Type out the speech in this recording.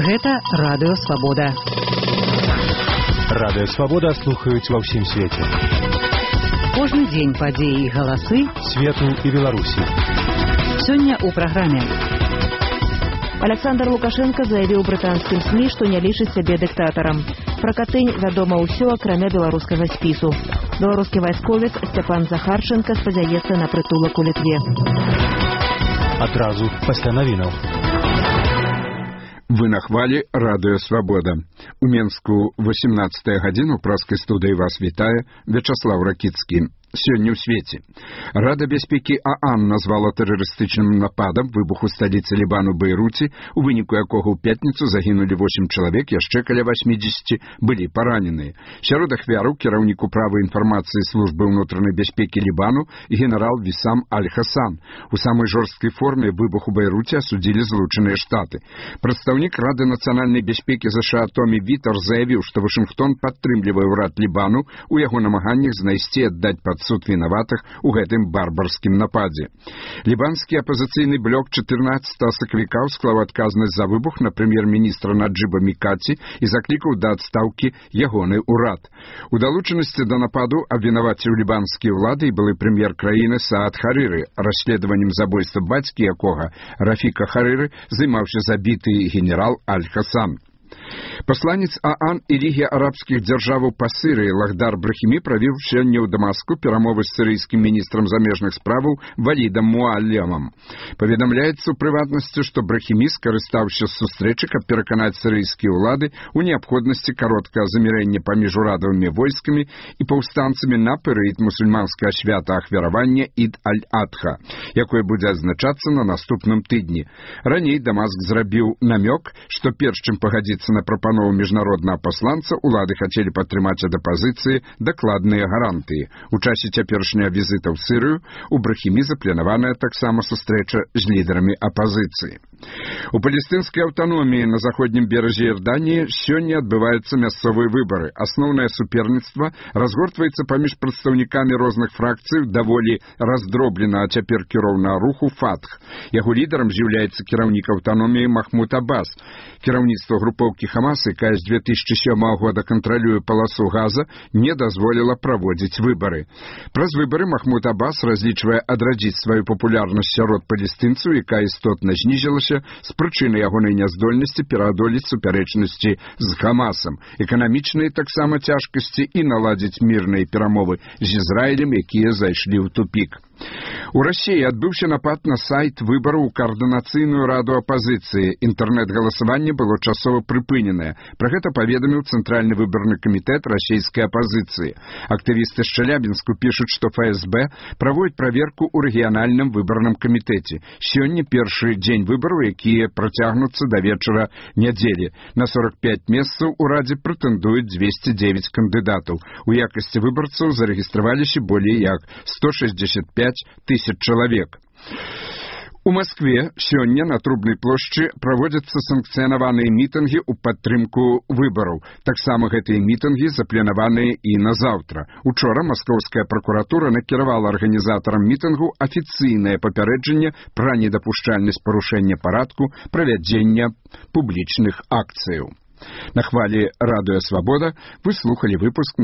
Гэта Радыё Свабода. Радыё Свабода слухаюць ва ўсім свеце. Кожны дзень падзеі і галасы свету і Беларусі. Сёння ў праграме. Александр Лукашенко заявіў брытанскім СМІ, што не лічыць сябе дыктатарам. Пра Катынь вядома ўсё, акрамя беларускага спісу. Беларускі вайсковец Сцяпан Захарченка спадзяецца на прытулак у Літве. Адразу пасля навінаў. Вы на хвалі Радыё Свабода. У Менску 18 гадзіну праскай студыі вас вітае Вячаслаў Ракіцкі. Сёння ў свеце. Рада бяспекі ААН назвала тэрарыстычным нападам выбух у сталіцы Лібану Бейруце, у выніку якога ў пятніцу загінулі 8 чалавек, яшчэ каля 80 былі параненыя. Сярод ахвяраў кіраўнік управы інфармацыі службы ўнутранай бяспекі Лібану генерал Вісам Аль-Хасан. У самай жорсткай форме выбух у Бейруце асудзілі Злучаныя Штаты. Прадстаўнік Рады нацыянальнай бяспекі ЗША Томі Вітер заявіў, што Вашынгтон падтрымлівае ўрад Лібану у яго намаганнях знайсці і аддаць пад суд вінаватых у гэтым барбарскім нападзе. Лібанскі апазіцыйны блок 14 сакавіка склаў адказнасць за выбух на прэм'ер-міністра Наджыба Мікаці і заклікаў да адстаўкі ягоны ўрад. У далучанасці да нападу абвінаваціў лібанскія ўлады і былы прэм'ер краіны Саад Харыры. Расследаваннем забойства бацькі якога, Рафіка Харыры, займаўся забіты генерал Аль-Хасан. Пасланец ААН і Лігі арабскіх дзяржаваў па Сырыі Лахдар Брахімі правіў сёння ў Дамаску перамовы з сірыйскім міністрам замежных справаў Валідам Муаллямам. Паведамляецца ў прыватнасці, што Брахімі скарыстаўся з сустрэчы, каб пераканаць сірыйскія ўлады ў неабходнасці кароткага замірэння паміж урадавымі войскамі і паўстанцамі на перыяд мусульманскага свята ахвяравання Ід Аль-Адха, якое будзе адзначацца на наступным тыдні. Раней Дамаск зрабіў намёк, што перш чым пагадзіцца на прапанову міжнароднага пасланца, улады хацелі падтрымаць ад апазіцыі дакладныя гарантыі. У часе цяперашняга візіта ў Сырыю у Брахімі запланаваная таксама сустрэча з лідарамі апазіцыі. У палестынскай аўтаноміі на заходнім беразе Іорданіі сёння адбываюцца мясцовыя выбары. Асноўнае суперніцтва разгортваецца паміж прадстаўнікамі розных фракцый даволі раздробленага цяпер кіроўнага руху Фатх. Яго лідарам з'яўляецца кіраўнік аўтаноміі Махмуд Аббас. Кіраўніцтва групоўкі Хамас, якая з 2007 года кантралюе паласу Газа, не дазволіла праводзіць выбары. Праз выбары Махмуд Аббас разлічвае адрадзіць сваю папулярнасць сярод палестынцаў, якая істотна знізілася з прычыны ягонай няздольнасці пераадолець супярэчнасці з Хамасам, эканамічныя таксама цяжкасці і наладзіць мірныя перамовы з Ізраілем, якія зайшлі ў тупік. У Расіі адбыўся напад на сайт выбараў у каардынацыйную раду апазіцыі. Інтэрнэт-галасаванне было часова прыпыненае. Пра гэта паведаміў Цэнтральны выбарны камітэт расійскай апазіцыі. Актывісты з Челябінску пішуць, што ФСБ праводзіць праверку ў рэгіянальным выбарным камітэце. Сёння першы дзень выбараў, якія працягнуцца да вечара нядзелі. На 45 месцаў у радзе прэтэндуюць 209 кандыдатаў. У якасці выбарцаў зарэгістраваліся болей як 165 тысяч чалавек. У Маскве сёння на Трубнай плошчы праводзяцца санкцыянаваныя мітынгі ў падтрымку выбараў. Таксама гэтыя мітынгі запланаваныя і на заўтра. Учора маскоўская пракуратура накіравала арганізатарам мітынгу афіцыйнае папярэджанне пра недапушчальнасць парушэння парадку правядзення публічных акцыяў. На хвалі Радыё Свабода вы слухалі выпуск